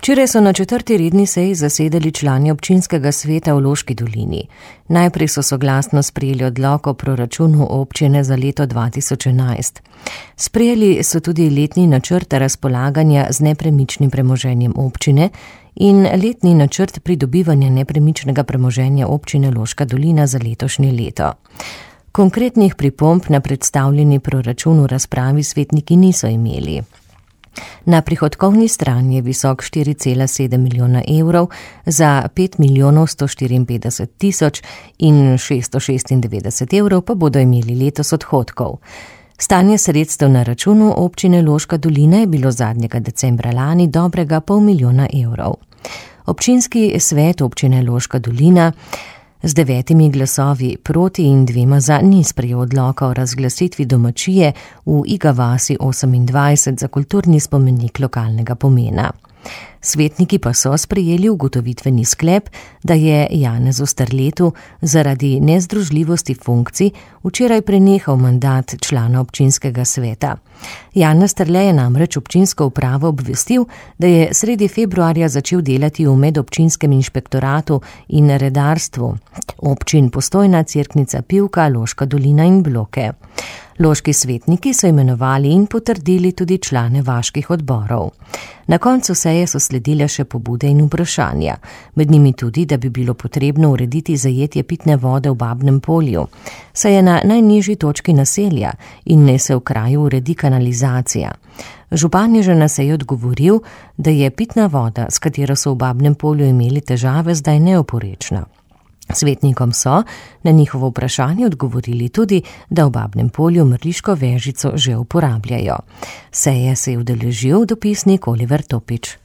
Včeraj so na 4. redni seji zasedali člani občinskega sveta v Loški dolini. Najprej so soglasno sprejeli odlok o proračunu občine za leto 2011. Sprejeli so tudi letni načrt razpolaganja z nepremičnim premoženjem občine in letni načrt pridobivanja nepremičnega premoženja občine Loška dolina za letošnje leto. Konkretnih pripomb na predstavljeni proračun v razpravi svetniki niso imeli. Na prihodkovni strani je visok 4,7 milijona evrov za 5 milijonov 154 tisoč in 696 evrov pa bodo imeli letos odhodkov. Stanje sredstev na računu občine Loška dolina je bilo zadnjega decembra lani dobrega pol milijona evrov. Občinski svet občine Loška dolina z 9 glasovi proti in 2 za ni sprejel odloka o razglasitvi domačije v Iga vasi 28 za kulturni spomenik lokalnega pomena. Svetniki pa so sprejeli ugotovitveni sklep, da je Janezu Starletu zaradi nezdružljivosti funkcij včeraj prenehal mandat člana občinskega sveta. Janez Starle je namreč občinsko upravo obvestil, da je sredi februarja začel delati v medobčinskem inšpektoratu in redarstvu občin Postojna, Cerknica, Pivka, Loška dolina in Bloke. Loški svetniki so imenovali in potrdili tudi člane vaških odborov. Na koncu seje so sledile še pobude in vprašanja, med njimi tudi, da bi bilo potrebno urediti zajetje pitne vode v Babnem Polju, saj je na najnižji točki naselja in ne se v kraju uredi kanalizacija. Župan je že na seji odgovoril, da je pitna voda, s katero so v Babnem Polju imeli težave, zdaj neoporečna. Svetnikom so na njihovo vprašanje odgovorili tudi, da v Babnem Polju mrliško vežico že uporabljajo. Seje se je udeležil dopisnik Oliver Topič.